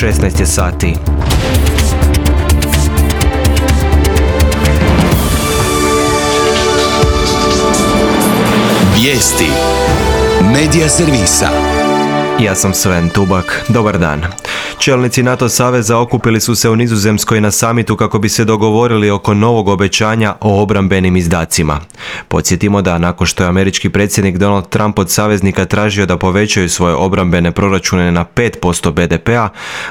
16 je sati. Vijesti Medija servisa. Ja sam Sven Tubak. Dobar dan. Čelnici NATO saveza okupili su se u Nizozemskoj na samitu kako bi se dogovorili oko novog obećanja o obrambenim izdacima. Podsjetimo da nakon što je američki predsjednik Donald Trump od saveznika tražio da povećaju svoje obrambene proračune na 5% BDP-a,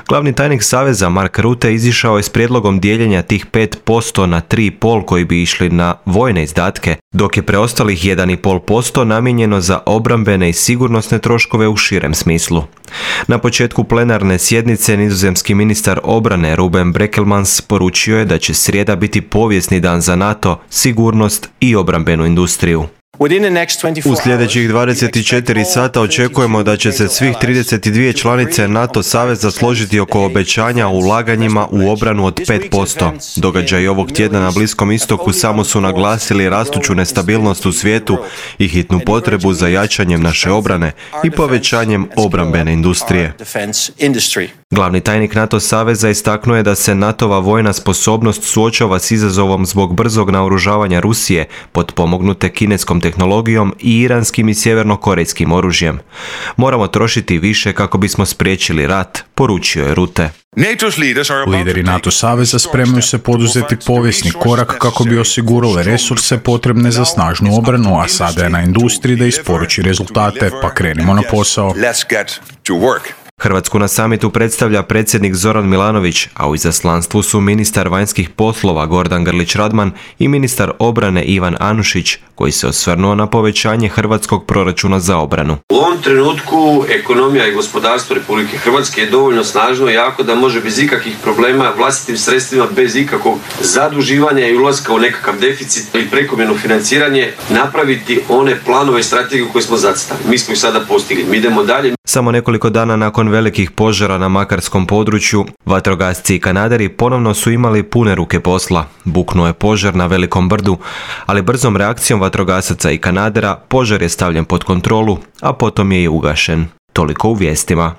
glavni tajnik saveza Mark Rutte izišao je s prijedlogom dijeljenja tih 5% na 3,5% koji bi išli na vojne izdatke, dok je preostalih 1,5% namijenjeno za obrambene i sigurnosne troškove u širem smislu. Na početku plenarne sjednice nizozemski ministar obrane Ruben Brekelmans poručio je da će srijeda biti povijesni dan za NATO, sigurnost i obrambenu industriju. U sljedećih 24 sata očekujemo da će se svih 32 članice NATO saveza složiti oko obećanja o ulaganjima u obranu od 5%. Događaji ovog tjedna na Bliskom istoku samo su naglasili rastuću nestabilnost u svijetu i hitnu potrebu za jačanjem naše obrane i povećanjem obrambene industrije. Glavni tajnik NATO saveza istaknuo je da se NATO-va vojna sposobnost suočava s izazovom zbog brzog naoružavanja Rusije, potpomognute kineskom tehnologijom i iranskim i sjevernokorejskim oružjem. Moramo trošiti više kako bismo spriječili rat, poručio je Rutte. Lideri NATO saveza spremaju se poduzeti povijesni korak kako bi osigurali resurse potrebne za snažnu obranu, a sada je na industriji da isporuči rezultate, pa krenimo na posao. Hrvatsku na samitu predstavlja predsjednik Zoran Milanović, a u izaslanstvu su ministar vanjskih poslova Gordan Grlić Radman i ministar obrane Ivan Anušić, koji se osvrnuo na povećanje hrvatskog proračuna za obranu. U ovom trenutku ekonomija i gospodarstvo Republike Hrvatske je dovoljno snažno i jako da može bez ikakvih problema vlastitim sredstvima, bez ikakvog zaduživanja i ulaska u nekakav deficit ili prekomjerno financiranje napraviti one planove i strategije koje smo zacrtali. Mi smo ih sada postigli. Mi idemo dalje. Samo nekoliko dana nakon velikih požara na makarskom području, vatrogasci i kanaderi ponovno su imali pune ruke posla. Buknuo je požar na Velikom brdu, ali brzom reakcijom vatrogasaca i kanadera požar je stavljen pod kontrolu, a potom je i ugašen. Toliko u vijestima.